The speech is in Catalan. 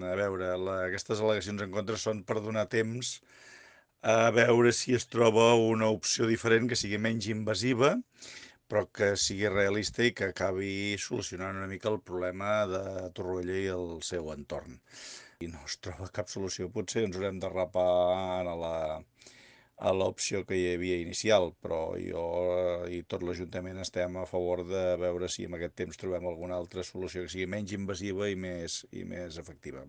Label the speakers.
Speaker 1: a veure, aquestes al·legacions en contra són per donar temps a veure si es troba una opció diferent que sigui menys invasiva, però que sigui realista i que acabi solucionant una mica el problema de Torroella i el seu entorn. I no es troba cap solució, potser ens haurem de rapar a l'opció que hi havia inicial, però jo i tot l'Ajuntament estem a favor de veure si en aquest temps trobem alguna altra solució que sigui menys invasiva i més efectiva.